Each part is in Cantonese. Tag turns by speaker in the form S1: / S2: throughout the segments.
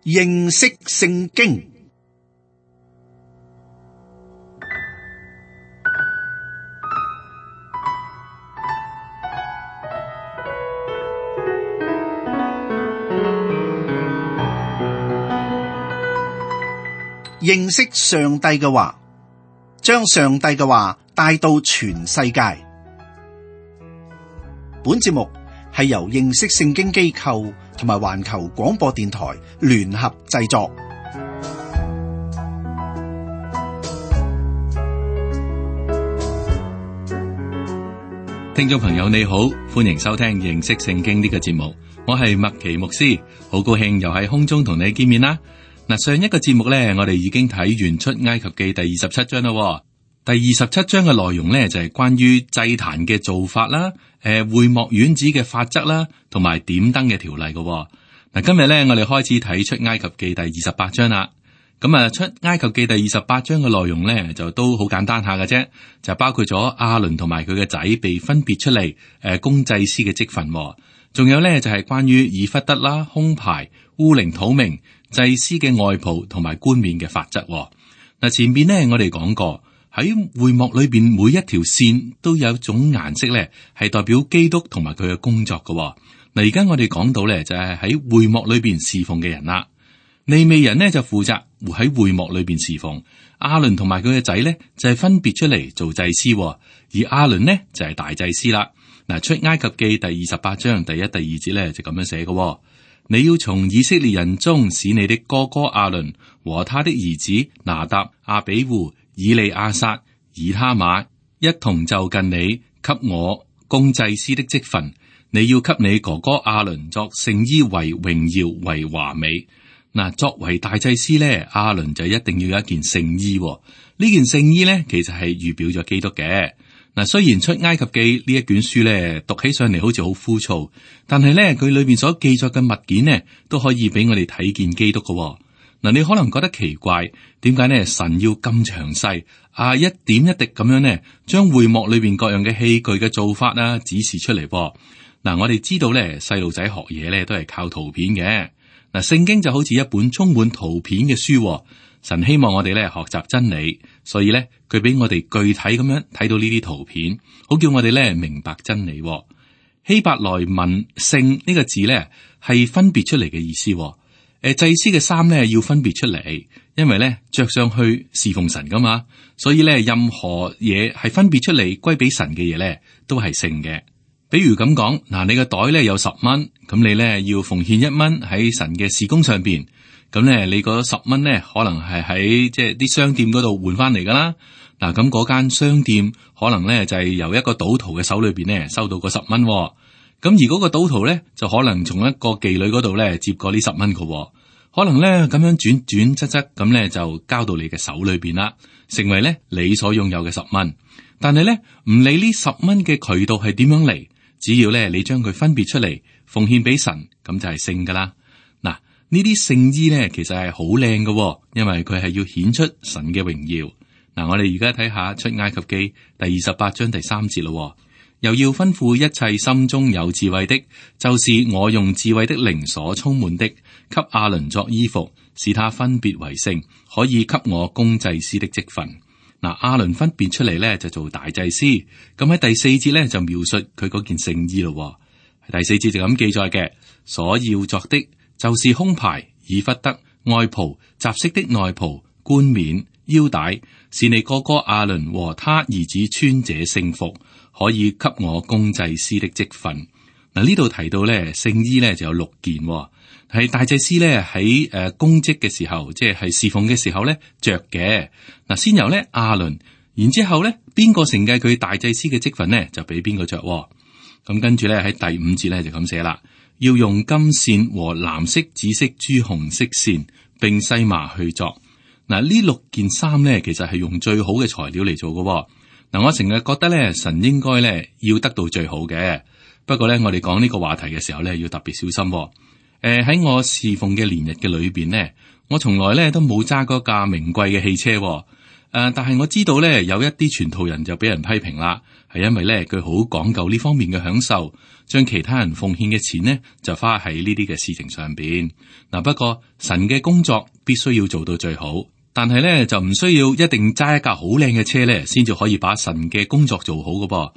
S1: 認識聖經。認識上帝嘅話，將上帝嘅話帶到全世界。本節目係由認識聖經機構同埋環球廣播電台聯合製作。
S2: 聽眾朋友你好，歡迎收聽認識聖經呢個節目，我係麥奇牧師，好高興又喺空中同你見面啦。嗱，上一個節目呢，我哋已經睇完出埃及記第27章啦。第27章嘅內容呢，就係關於祭壇嘅做法啦，會幕院子嘅法則啦，同埋點燈嘅條例嘅。嗱，今日呢，我哋開始睇出埃及記第28章啦。咁啊，出埃及記第28章嘅內容呢，就都好簡單下嘅啫，就包括咗亞倫同埋佢嘅仔被分別出嚟，供祭司嘅職分。仲有呢，就係關於以弗得啦、胸牌、烏靈土明、祭司嘅外袍同埋冠冕嘅法則。嗱，前邊呢，我哋講過喺會幕裏邊每一條線都有一種顏色咧，係代表基督同埋佢嘅工作嘅。嗱，而家我哋講到咧，就係喺會幕裏邊侍奉嘅人啦。利未人呢，就負責喺會幕裏邊侍奉，亞倫同埋佢嘅仔咧就係分別出嚟做祭司，而亞倫呢，就係大祭司啦。嗱，出埃及記第28章第1、第2節咧就咁樣寫嘅。你要從以色列人中使你的哥哥亞倫和他的兒子拿答、亞比戶、以利亞撒、以他瑪一同就近你，給我供祭司的職分。你要給你哥哥亞倫作聖衣，為榮耀，為華美。嗱，作為大祭司咧，亞倫就一定要有一件聖衣。呢件聖衣咧，其實係預表咗基督嘅。嗱，雖然出埃及記呢一卷書咧，讀起上嚟好似好枯燥，但係咧佢裏邊所記載嘅物件呢，都可以俾我哋睇見基督嘅。嗱，你可能覺得奇怪，點解呢？神要咁詳細啊，一點一滴咁樣呢，將會幕裏邊各樣嘅器具嘅做法啊指示出嚟噃。嗱，我哋知道咧，細路仔學嘢咧都係靠圖片嘅。嗱，聖經就好似一本充滿圖片嘅書。神希望我哋咧學習真理，所以咧佢俾我哋具體咁樣睇到呢啲圖片，好叫我哋咧明白真理。希伯來文聖呢個字咧係分別出嚟嘅意思。祭司嘅衫咧要分別出嚟，因為咧着上去侍奉神噶嘛，所以咧任何嘢係分別出嚟歸俾神嘅嘢咧都係聖嘅。比如咁講，嗱，你個袋咧有10蚊，咁你咧要奉獻1蚊喺神嘅事工上邊。咁咧，你嗰10蚊咧，可能係喺即係啲商店嗰度換翻嚟噶啦。嗱，咁嗰間商店可能咧就係由一個賭徒嘅手裏邊咧收到嗰10蚊。咁而嗰個賭徒咧就可能從一個妓女嗰度咧接過呢10蚊嘅。可能咧咁樣轉轉側側咁咧就交到你嘅手裏邊啦，成為咧你所擁有嘅10蚊。但係咧唔理呢10蚊嘅渠道係點樣嚟，只要咧你將佢分別出嚟奉獻俾神，咁就係聖噶啦。呢啲聖衣咧，其實係好靚嘅，因為佢係要顯出神嘅榮耀。嗱，我哋而家睇下出埃及記第28章第3節咯。又要吩咐一切心中有智慧的，就是我用智慧的靈所充滿的，給亞倫作衣服，使他分別為聖，可以給我供祭司的職分。嗱，亞倫分別出嚟咧就做大祭司。咁喺第4節咧就描述佢嗰件聖衣咯。第4節就咁記載嘅，所要作的，就是胸牌、以弗得、外袍、雜色的內袍、冠冕、腰帶，是你哥哥亞倫和他兒子穿這聖服，可以給我供祭司的職分。嗱，呢度提到咧聖衣咧就有6件，係大祭司咧喺公職嘅時候，即係侍奉嘅時候咧着嘅。嗱，先由咧亞倫，然之後咧邊個承繼佢大祭司嘅職分咧，就俾邊個着。咁跟住咧喺第5節咧就咁寫啦。要用金線和藍色、紫色、朱紅色線，並細麻去作。嗱，呢6件衫咧，其實係用最好嘅材料嚟做嘅。嗱，我成日覺得咧，神應該咧要得到最好嘅。不過咧，我哋講呢個話題嘅時候咧，要特別小心。喺我侍奉嘅年日嘅裏邊咧，我從來咧都冇揸嗰架名貴嘅汽車。但係我知道咧，有一啲傳道人就俾人批評啦，係因為咧佢好講究呢方面嘅享受，將其他人奉獻嘅錢呢就花喺呢啲嘅事情上邊。嗱，不過神嘅工作必須要做到最好，但係咧就唔需要一定揸一架好靚嘅車咧，先至可以把神嘅工作做好㗎噃。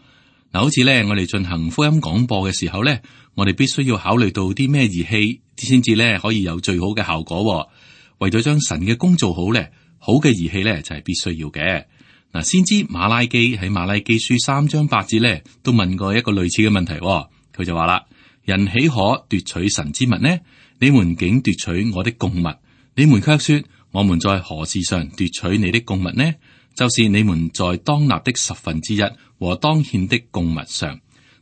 S2: 嗱，好似咧我哋進行福音廣播嘅時候咧，我哋必須要考慮到啲咩儀器先至咧可以有最好嘅效果。為咗將神嘅工做好咧，好嘅儀器咧就係必須要嘅。嗱，先知馬拉基喺馬拉基書3章8節咧都問過一個類似嘅問題，佢就話啦：人豈可奪取神之物呢？你們竟奪取我的供物，你們卻說我們在何事上奪取你的供物呢？就是你們在當納的1/10和當獻的供物上。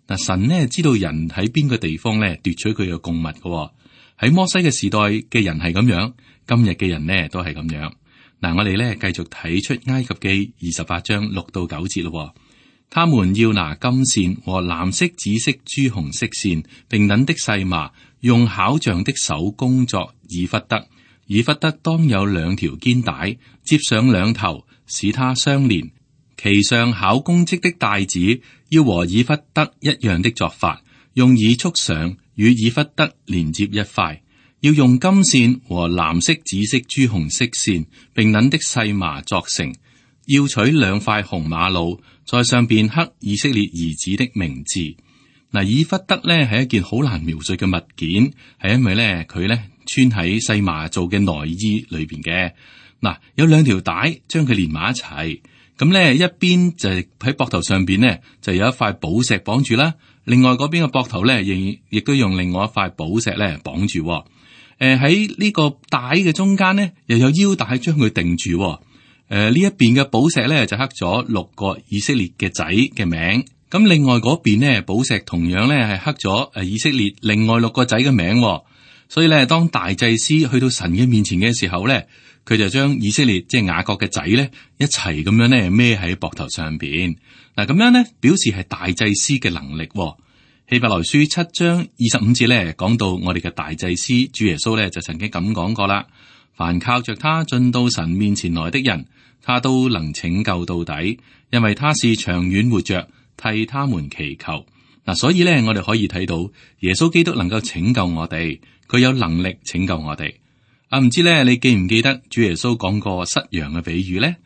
S2: 嗱，神呢知道人喺邊個地方咧奪取佢嘅供物嘅。喺摩西嘅時代嘅人係咁樣，今日嘅人呢都係咁樣。嗱，我哋咧繼續睇出埃及記28章6到9節咯。他們要拿金線和藍色、紫色、朱紅色線並等的細麻，用巧匠的手工作以弗得。以弗得當有2條肩帶，接上2頭，使它相連。其上巧工織的帶子要和以弗得一樣的作法，用耳束上，與以弗得連接一塊。要用金線和藍色、紫色、朱紅色線並等的細麻作成。要取2塊紅瑪瑙，在上邊刻以色列兒子的名字。嗱，以弗得咧係一件好難描述嘅物件，係因為咧佢咧穿喺細麻做嘅內衣裏邊嘅。嗱，有2條帶將佢連埋一齊，咁咧一邊就係喺膊頭上邊咧就有一塊寶石綁住啦，另外嗰邊嘅膊頭咧亦都用另外一塊寶石咧綁住。喺呢個帶嘅中間咧又有腰帶將佢定住。呢一邊嘅寶石咧就刻咗6個以色列嘅仔嘅名，咁另外嗰邊呢，寶石同樣咧係刻咗以色列另外6個仔嘅名。所以咧當大祭司去到神嘅面前嘅時候咧，佢就將以色列即係雅各嘅仔咧一齊咁樣咧孭喺膊頭上邊。嗱，咁樣咧表示係大祭司嘅能力。希伯來書7章25節咧講到我哋嘅大祭司主耶穌咧就曾經咁講過啦：凡靠着他進到神面前來的人，他都能拯救到底，因為他是長遠活着，替他們祈求。嗱，所以咧我哋可以睇到耶穌基督能夠拯救我哋，佢有能力拯救我哋。唔知咧你記唔記得主耶穌講過失羊嘅比喻呢？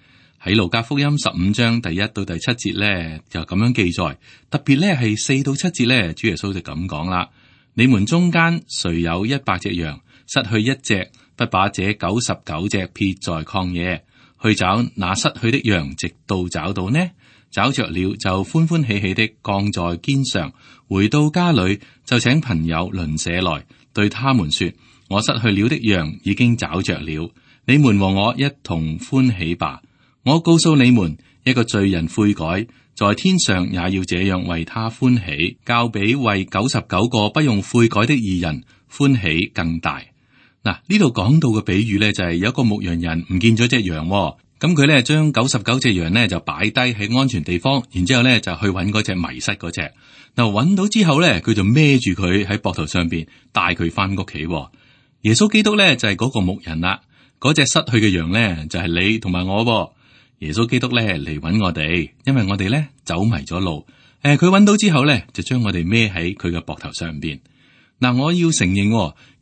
S2: 喺路加福音15章第1到第7節咧就咁樣記載，特別咧係4到7節咧，主耶穌就咁講啦：你們中間誰有100隻羊，失去一隻，不把這99隻撇在曠野，去找那失去的羊，直到找到呢？找着了就歡歡喜喜的降在肩上，回到家裏就請朋友鄰舍來，對他們說：我失去了的羊已經找着了，你們和我一同歡喜吧。我告訴你們，一個罪人悔改，在天上也要這樣為他歡喜，較比為99個不用悔改的義人歡喜更大。嗱，呢度講到嘅比喻咧，就係有一個牧羊人唔見咗隻羊，咁佢咧將99隻羊咧就擺低喺安全地方，然之後咧就去揾嗰隻迷失嗰隻。嗱，揾到之後咧，佢就孭住佢喺膊頭上邊，帶佢翻屋企。耶穌基督咧就係嗰個牧人啦，嗰隻失去嘅羊咧就係你同埋我。耶穌基督咧嚟揾我哋，因為我哋咧走迷咗路。佢揾到之後咧，就將我哋孭喺佢嘅膊頭上邊。嗱，我要承認，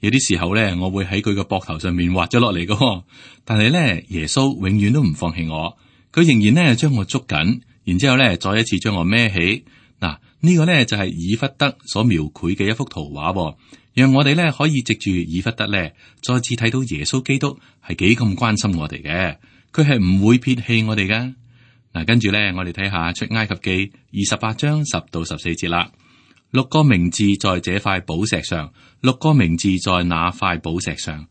S2: 有啲時候咧，我會喺佢嘅膊頭上面滑咗落嚟嘅。但係咧，耶穌永遠都唔放棄我，佢仍然咧將我捉緊，然之後咧再一次將我孭起。嗱，呢個咧就係以弗得所描繪嘅一幅圖畫，讓我哋咧可以藉住以弗得咧，再次睇到耶穌基督係幾咁關心我哋嘅。佢係唔會撇棄我哋噶。嗱，跟住咧，我哋睇下出埃及記28章10到14節啦。6個名字在這塊寶石上，6個名字在那塊寶石上，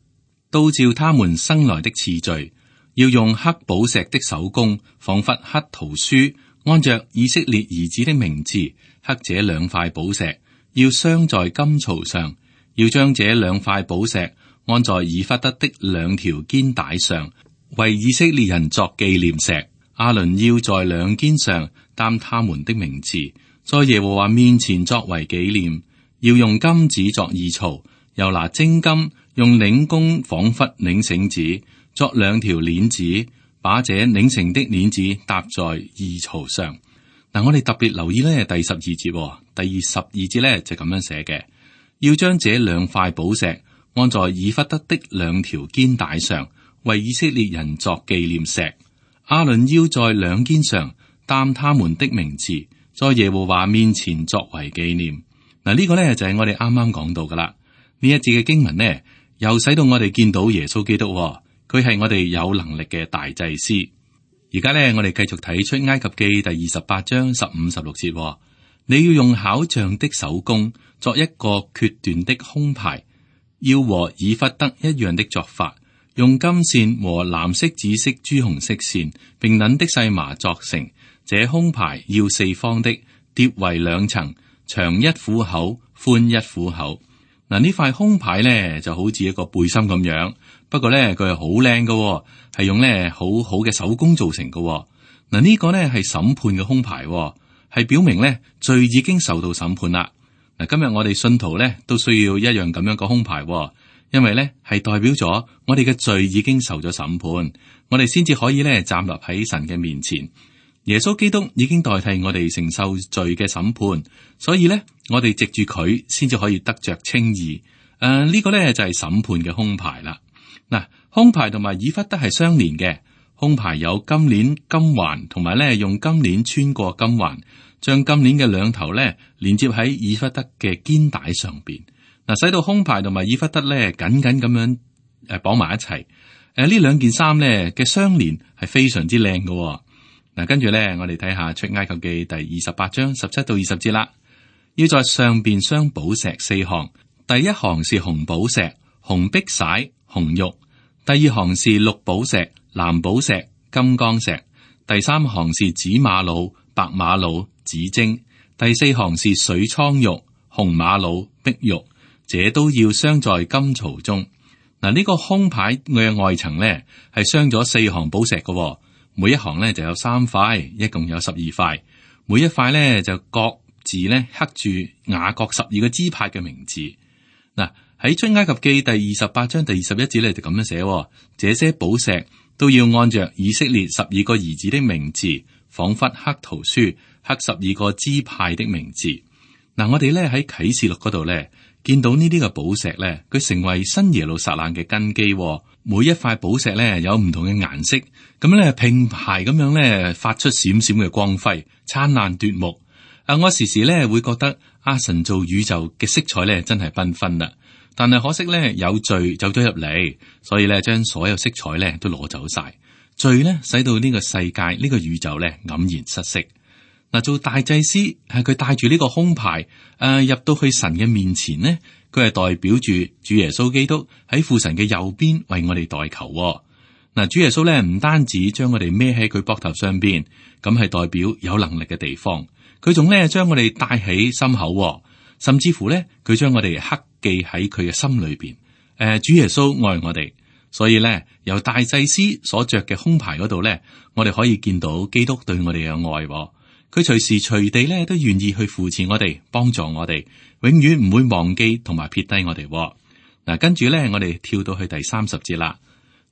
S2: 都照他們生來的次序，要用刻寶石的手工，仿佛刻圖書，按着以色列兒子的名字刻這2塊寶石，要鑲在金槽上，要將這2塊寶石安在以弗得的2條肩帶上，為以色列人作紀念石。亞倫要在2肩上擔他們的名字，在耶和華面前作為紀念。要用金子作二槽，又拿精金用領弓仿佛領繩子，作2條鏈子，把這擰成的鏈子搭在二槽上。嗱，我哋特別留意咧第12節，第12節咧就咁樣寫嘅，要將這兩塊寶石按在以弗得的兩條肩帶上，為以色列人作紀念石。亞倫要在兩肩上擔他們的名字，在耶和華面前作為紀念。嗱，呢個咧就係我哋啱啱講到噶啦。呢一節嘅經文呢，又使到我哋見到耶穌基督，佢係我哋有能力嘅大祭司。而家咧，我哋繼續睇出埃及記第28章15、16節。你要用巧匠的手工作一個決斷的胸牌，要和以弗得一樣的作法，用金線和藍色、紫色、朱紅色線，並捻的細麻作成。這胸牌要四方的，疊為兩層，長一虎口，寬一虎口。嗱，呢塊胸牌咧就好似一個背心咁樣，不過咧佢係好靚嘅，係用咧好好嘅手工做成嘅。嗱，呢個咧係審判嘅胸牌，係表明咧罪已經受到審判啦。嗱，今日我哋信徒咧都需要一樣咁樣嘅胸牌，因為咧係代表咗我哋嘅罪已經受咗審判，我哋先至可以咧站立喺神嘅面前。耶穌基督已經代替我哋承受罪嘅審判，所以咧我哋藉住佢先至可以得着稱義。呢個咧就係審判嘅胸牌啦。嗱，胸牌同埋以弗得係相連嘅，胸牌有金鏈、金環，同埋咧用金鏈穿過金環，將金鏈嘅兩頭咧連接喺以弗得嘅肩帶上邊，嗱，使到胸牌同埋以弗得咧緊緊咁樣綁埋一齊。呢兩件衫咧嘅相連係非常之靚嘅。嗱，跟住咧，我哋睇下出埃及記第28章17到20節啦。要在上邊鑲寶石4項，第一行是紅寶石、紅碧璽、紅玉；第二行是綠寶石、藍寶石、金剛石；第三行是紫瑪瑙、白瑪瑙、紫晶；第四行是水蒼玉、紅瑪瑙、碧玉。這都要鑲在金槽中。嗱，呢個胸牌嘅外層咧係鑲咗4行寶石嘅。每一行咧就有3塊，一共有12塊。每一塊咧就各自咧刻住雅各12個支派嘅名字。嗱，喺出埃及記第28章第21節咧就咁樣寫：這些寶石都要按着以色列12個兒子的名字，仿佛刻圖書，刻12個支派的名字。嗱，我哋咧喺啟示錄嗰度咧見到呢啲嘅寶石咧，佢成為新耶路撒冷嘅根基。每一塊寶石咧有唔同嘅顏色，咁咧並排咁樣咧發出閃閃嘅光輝，燦爛奪目。我時時咧會覺得神造宇宙嘅色彩咧真係繽紛啦，但係可惜咧有罪走咗入嚟，所以咧將所有色彩咧都攞走晒。罪咧使到呢個世界呢個宇宙咧黯然失色。嗱，做大祭司係佢帶住呢個胸牌入到去神嘅面前呢，佢係代表住主耶穌基督喺父神嘅右邊為我哋代求。嗱，主耶穌咧唔單止將我哋孭喺佢膊頭上邊，咁係代表有能力嘅地方。佢仲咧將我哋帶喺心口，甚至乎咧佢將我哋刻記喺佢嘅心裏邊。主耶穌愛我哋，所以咧由大祭司所着嘅胸牌嗰度咧，我哋可以見到基督對我哋嘅愛。佢隨時隨地咧都願意去扶持我哋，幫助我哋，永遠唔會忘記同埋撇低我哋。嗱，跟住咧，我哋跳到去第30節啦。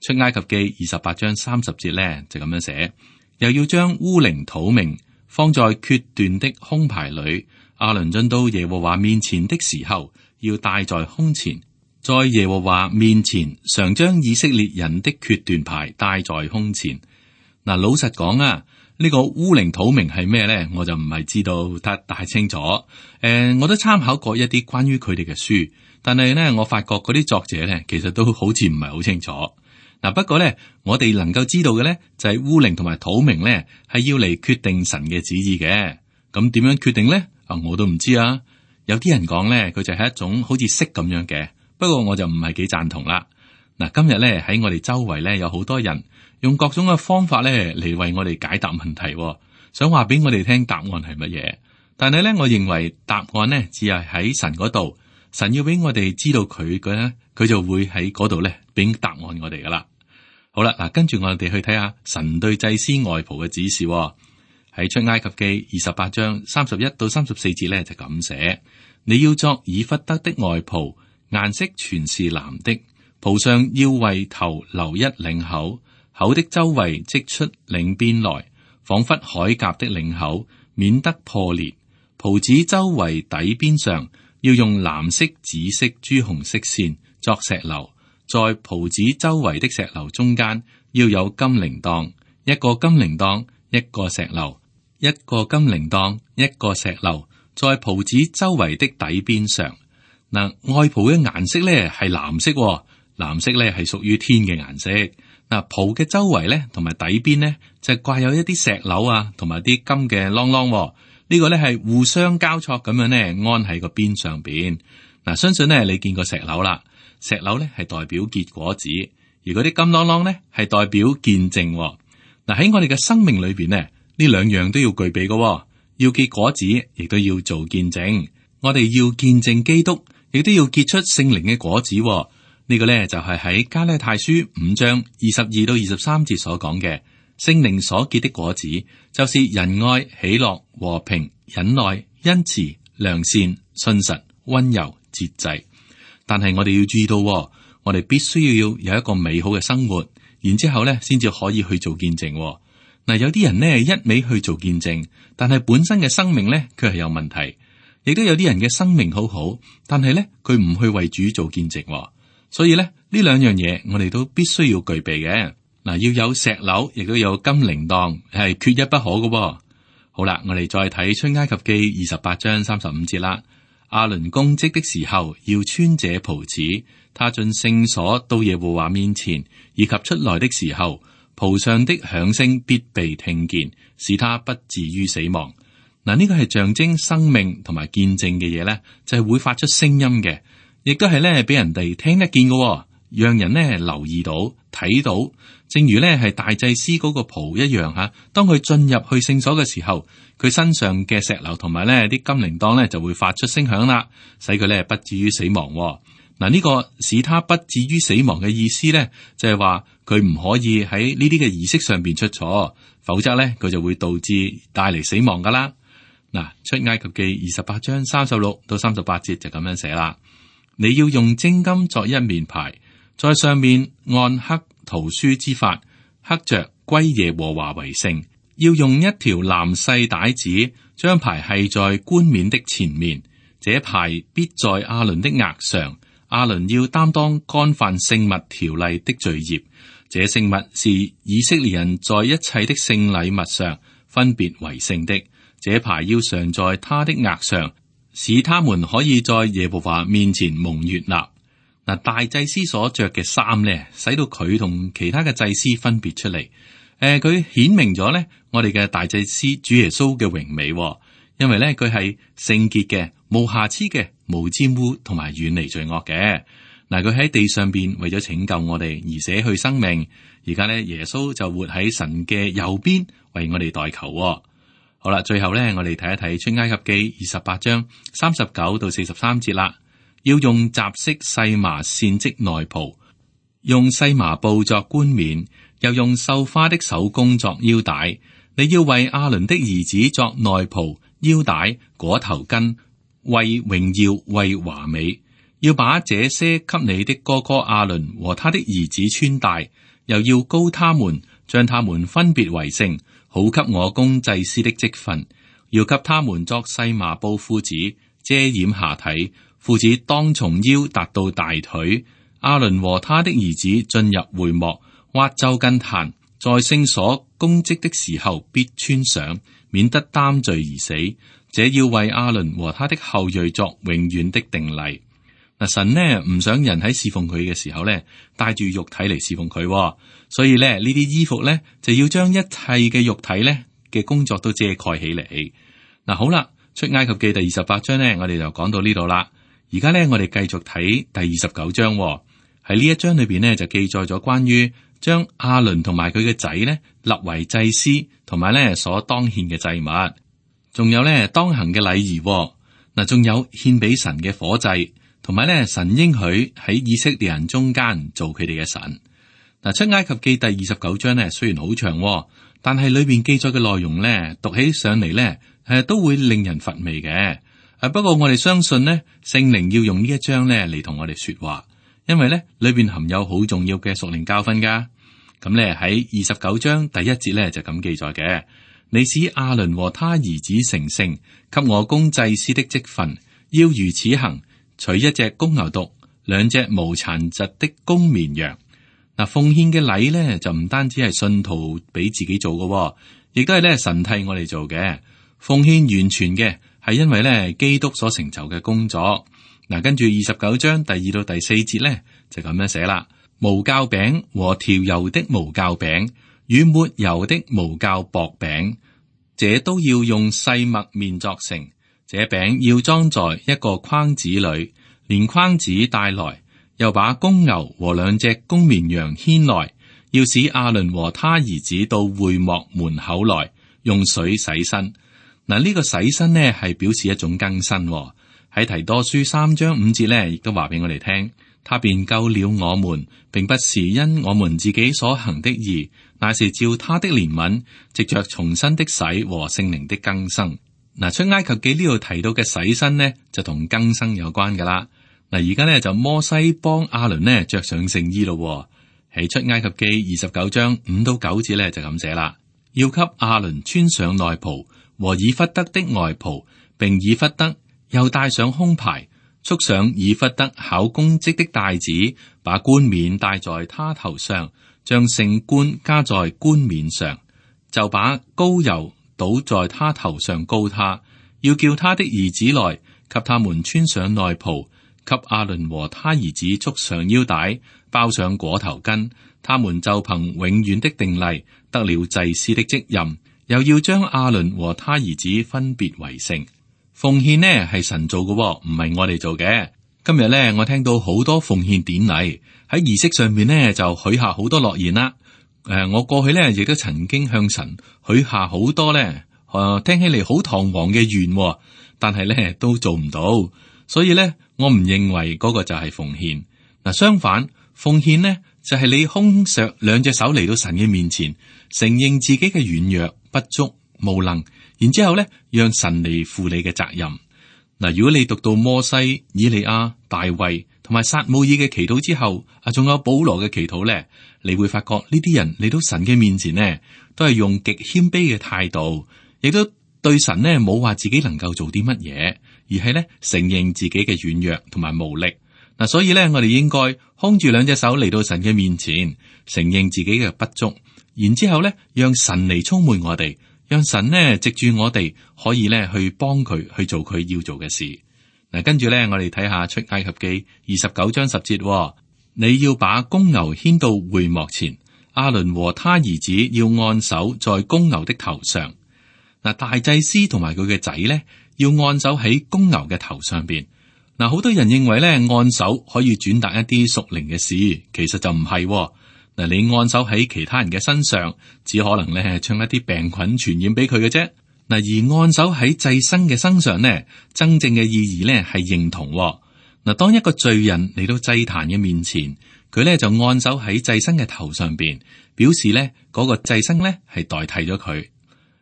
S2: 出埃及記28章30節咧就咁樣寫，又要將烏靈土明放在決斷的胸牌裏。亞倫進到耶和華面前的時候，要戴在胸前，在耶和華面前常將以色列人的決斷牌戴在胸前。嗱，老實講啊，呢個烏靈土明係咩咧？我就唔係知道得太清楚。我都參考過一啲關於佢哋嘅書，但係咧，我發覺嗰啲作者咧，其實都好似唔係好清楚。嗱，不過咧，我哋能夠知道嘅咧，就係烏靈同埋土明咧，係要嚟決定神嘅旨意嘅。咁點樣決定咧？我都唔知啊。有啲人講咧，佢就係一種好似色咁樣嘅，不過我就唔係幾贊同啦。嗱，今日咧喺我哋周圍咧，有好多人用各種嘅方法咧嚟為我哋解答問題，想話俾我哋聽答案係乜嘢。但係咧，我認為答案咧只係喺神嗰度，神要俾我哋知道佢嘅咧，佢就會喺嗰度咧俾答案我哋噶啦。好啦，嗱，跟住我哋去睇下神對祭司外袍嘅指示。喺出埃及記28章31到34節咧就咁寫：你要作以弗得的外袍，顏色全是藍的，袍上要為頭留一領口，口的周圍織出領邊來，仿佛鎧甲的領口，免得破裂。袍子周圍底邊上要用藍色、紫色、朱紅色線作石榴，在袍子周圍的石榴中間要有金鈴鐺，一個金鈴鐺，一個石榴，一個金鈴鐺，一個石榴，在袍子周圍的底邊上。嗱，外袍嘅顏色咧係藍色，藍色咧係屬於天嘅顏色。嗱，袍嘅周圍咧同埋底邊咧就掛有一啲石榴啊，同埋啲金嘅啷啷。呢個咧係互相交錯咁樣咧安喺個邊上邊。嗱，相信咧你見過石榴啦，石榴咧係代表結果子，而嗰啲金啷啷咧係代表見證。嗱，喺我哋嘅生命裏邊咧，呢兩樣都要具備嘅，要結果子，亦都要做見證。我哋要見證基督，亦都要結出聖靈嘅果子。呢個咧就係喺加拉太書5章22到23節所講嘅，聖靈所結的果子，就是仁愛、喜樂、和平、忍耐、恩慈、良善、信實、溫柔、節制。但係我哋要注意到，我哋必須要有一個美好嘅生活，然之後咧先至可以去做見證。嗱，有啲人呢，一味去做見證，但係本身嘅生命咧佢係有問題。亦都有啲人嘅生命好好，但係咧佢唔去為主做見證。所以咧呢兩樣嘢我哋都必須要具備嘅。嗱，要有石榴，亦都有金鈴鐺，係缺一不可嘅。好啦，我哋再睇出埃及記28章35節啦。亞倫供職的時候要穿這袍子，他進聖所到耶和華面前，以及出來的時候，袍上的響聲必被聽見，使他不至於死亡。嗱，呢個係象徵生命同埋見證嘅嘢咧，就係會發出聲音嘅，亦都係咧俾人哋聽得見嘅，讓人咧留意到睇到。正如咧係大祭司嗰個袍一樣吓，當佢進入去聖所嘅時候，佢身上嘅石榴同埋咧啲金鈴鐺咧就會發出聲響啦，使佢咧不至於死亡。嗱，呢個使他不至於死亡嘅意思咧，就係話佢唔可以喺呢啲嘅儀式上邊出錯，否則咧佢就會導致帶嚟死亡噶啦。嗱，出埃及記28章36到38節就咁樣寫啦。你要用精金作一面牌，在上面按刻圖書之法，刻着歸耶和華為聖。要用一條藍細帶子將牌繫在冠冕的前面，這牌必在亞倫的額上。亞倫要擔當干犯聖物條例的罪孽。這聖物是以色列人在一切的聖禮物上分別為聖的。這牌要常在他的額上，使他們可以在耶和華面前蒙悅納。嗱，大祭司所着嘅衫咧，使到佢同其他嘅祭司分別出嚟。佢顯明咗咧，我哋嘅大祭司主耶穌嘅榮美，因為咧佢係聖潔嘅、無瑕疵嘅、無沾污同埋遠離罪惡嘅。嗱，佢喺地上邊為咗拯救我哋而捨去生命，而家咧耶穌就活喺神嘅右邊，為我哋代求。好啦，最後咧，我哋睇一睇出埃及記28章39到43節啦。要用雜色細麻線織內袍，用細麻布作冠冕，又用繡花的手工作腰帶。你要為亞倫的兒子作內袍、腰帶、裹頭巾，為榮耀，為華美。要把這些給你的哥哥亞倫和他的兒子穿戴，又要膏他們，將他們分別為聖，好給我供祭司的職分。要給他們作細麻布褲子，遮掩下體。褲子當從腰達到大腿。亞倫和他的兒子進入會幕，挖就近壇，在聖所供職的時候必穿上，免得擔罪而死。這要為亞倫和他的後裔作永遠的定例。嗱，神呢唔想人喺侍奉佢嘅時候呢帶住肉體嚟侍奉佢，所以呢啲衣服呢就要將一切嘅肉體呢嘅工作都遮蓋起嚟。嗱，好啦，出埃及記第28章呢，我哋就講到呢度啦。而家呢，我哋繼續睇第29章。喺呢一章裏邊呢，就記載咗關於將亞倫同埋佢嘅仔呢立為祭司，同埋呢所當獻嘅祭物，仲有呢當行嘅禮儀。嗱，仲有獻俾神嘅火祭，同埋呢神應許喺以色列人中間做佢哋嘅神。嗱，出埃及記第29章呢，雖然好長，但係裏邊記載嘅內容呢，讀起上嚟呢，都會令人乏味嘅。不過我哋相信呢，聖靈要用呢一章呢嚟同我哋說話，因為呢裏邊含有好重要嘅屬靈教訓噶。咁咧喺29章第1節咧就咁記載嘅。你使亞倫和他兒子成聖，給我供祭司的職分，要如此行：取1隻公牛犢，2隻無殘疾的公綿羊。嗱，奉獻嘅禮咧就唔單止係信徒俾自己做嘅，亦都係咧神替我哋做嘅。奉獻完全嘅係因為咧基督所成就嘅工作。嗱，跟住29章第2到第4節咧就咁樣寫啦：無酵餅和調油的無酵餅，與抹油的無酵薄餅，這都要用細麥麵作成。這餅要裝在一個筐子裏，連筐子帶來。又把公牛和2隻公綿羊牽來，要使亞倫和他兒子到會幕門口來，用水洗身。嗱，呢個洗身呢係表示一種更新。喺提多書3章5節呢，亦都話俾我哋聽，他便救了我們，並不是因我們自己所行的義，乃是照他的憐憫，藉着重生的洗和聖靈的更新。嗱，出埃及記呢度提到嘅洗身呢，就同更新有關噶啦。嗱，而家呢就摩西幫亞倫呢着上聖衣咯。喺出埃及記29章5到9節呢就咁寫啦，要給亞倫穿上內袍和以弗得的外袍，並以弗得又戴上胸牌，束上以弗得考公職的帶子，把冠冕戴在他頭上，將聖冠加在冠冕上，就把膏油倒在他頭上膏他，要叫他的兒子來，給他們穿上內袍。給亞倫和他兒子束上腰帶，包上裹頭巾，他們就憑永遠的定例得了祭司的職任，又要將亞倫和他兒子分別為聖。奉獻呢係神做嘅，唔係我哋做嘅。今日呢，我聽到好多奉獻典禮喺儀式上面呢，就許下好多諾言啦。我過去呢，亦都曾經向神許下好多呢，聽起嚟好堂皇嘅願，但係呢都做唔到。所以咧，我唔認為嗰個就係奉獻。嗱，相反，奉獻呢就係你空着2隻手嚟到神嘅面前，承認自己嘅軟弱、不足、無能，然之後咧，讓神嚟負你嘅責任。嗱，如果你讀到摩西、以利亞、大衛同埋撒母耳嘅祈禱之後，仲有保羅嘅祈禱咧，你會發覺呢啲人嚟到神嘅面前呢，都係用極謙卑嘅態度，亦都對神呢冇話自己能夠做啲乜嘢。而係咧承認自己嘅軟弱同埋無力。嗱，所以咧我哋應該空住2隻手嚟到神嘅面前，承認自己嘅不足，然之後咧讓神嚟充滿我哋，讓神呢藉住我哋可以咧去幫佢去做佢要做嘅事。嗱，跟住咧我哋睇下出埃及記29章10節，你要把公牛牽到會幕前，亞倫和他兒子要按手在公牛的頭上。嗱，大祭司同埋佢嘅仔咧，要按手喺公牛嘅頭上邊。嗱，好多人認為咧按手可以轉達一啲屬靈嘅事，其實就唔係。嗱，你按手喺其他人嘅身上，只可能咧係將一啲病菌傳染俾佢嘅啫。嗱，而按手喺祭牲嘅身上呢，真正嘅意義咧係認同。嗱，當一個罪人嚟到祭壇嘅面前，佢咧就按手喺祭牲嘅頭上邊，表示咧嗰個祭牲咧係代替咗佢。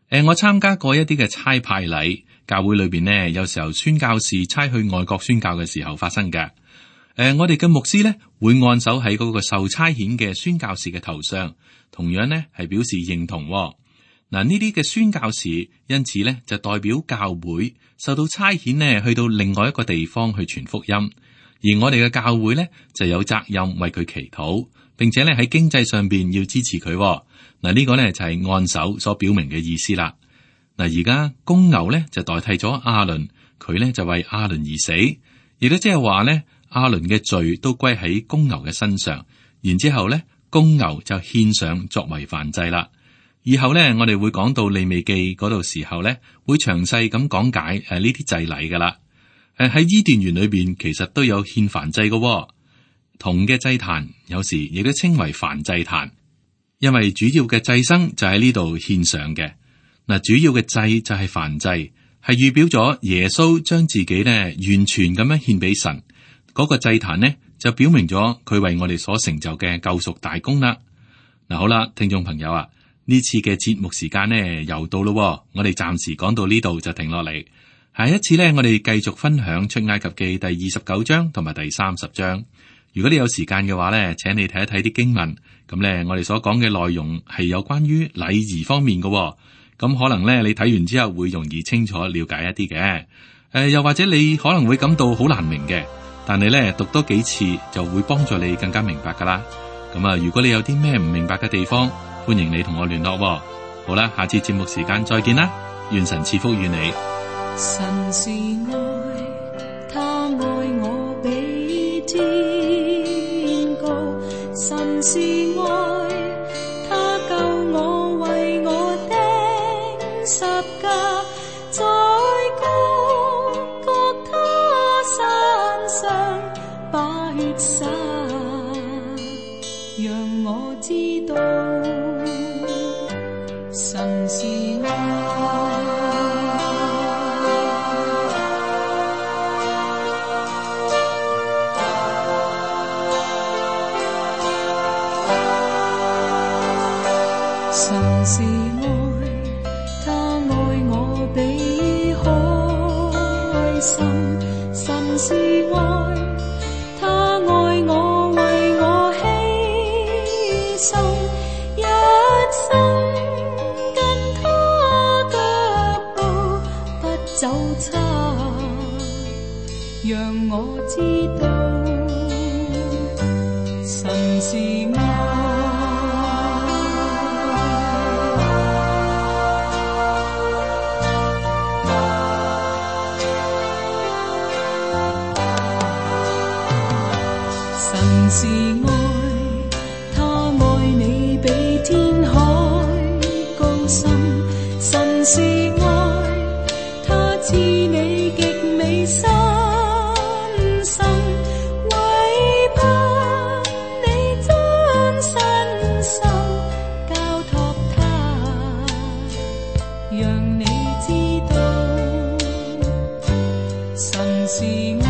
S2: 我參加過一啲嘅差派禮，教會裏邊呢，有時候宣教士差去外國宣教嘅時候發生嘅。我哋嘅牧師呢會按手喺嗰個受差遣嘅宣教士嘅頭上，同樣呢係表示認同。嗱，呢啲嘅宣教士因此呢就代表教會受到差遣呢去到另外一個地方去傳福音，而我哋嘅教會呢就有責任為佢祈禱，並且呢喺經濟上邊要支持佢。嗱，呢個呢就係按手所表明嘅意思啦。嗱，而家公牛呢就代替咗亞倫，佢呢就為亞倫而死，亦都即係話呢亞倫嘅罪都歸喺公牛嘅身上，然之後呢公牛就獻上作為燔祭啦。以後呢我哋會講到利未記嗰度時候呢，會詳細咁講解呢啲祭禮噶啦。喺伊甸園裏邊其實都有獻燔祭嘅，銅嘅祭壇有時亦都稱為燔祭壇。因為主要嘅祭牲就喺呢度獻上嘅。嗱，主要嘅祭就係燔祭，係預表咗耶穌將自己呢完全咁樣獻俾神。嗰個祭壇呢就表明咗佢為我哋所成就嘅救贖大功啦。嗱，好啦，聽眾朋友啊，呢次嘅節目時間呢又到咯，我哋暫時講到呢度就停落嚟。下一次呢，我哋繼續分享出埃及記第29章同埋第30章。如果你有時間嘅話咧，請你睇一睇啲經文。咁咧，我哋所講嘅內容係有關於禮儀方面嘅喎。咁可能咧，你睇完之後會容易清楚了解一啲嘅。又或者你可能會感到好難明嘅，但係咧讀多幾次就會幫助你更加明白噶啦。咁啊，如果你有啲咩唔明白嘅地方，歡迎你同我聯絡喎。好啦，下次節目時間再見啦，願神賜福與你。
S3: 神是愛，他愛我比天高。神是愛，他救我，為我釘十架，在各他山上把血灑，讓我知道神是愛。神是愛，他愛我比海深。神是愛，他愛我，為我犧牲，一生跟他腳步不走差，讓我知道神是愛。神是愛，他愛你比天海高深。神是愛，他賜你極美新生，為怕你將身心交託他，讓你知道神是愛。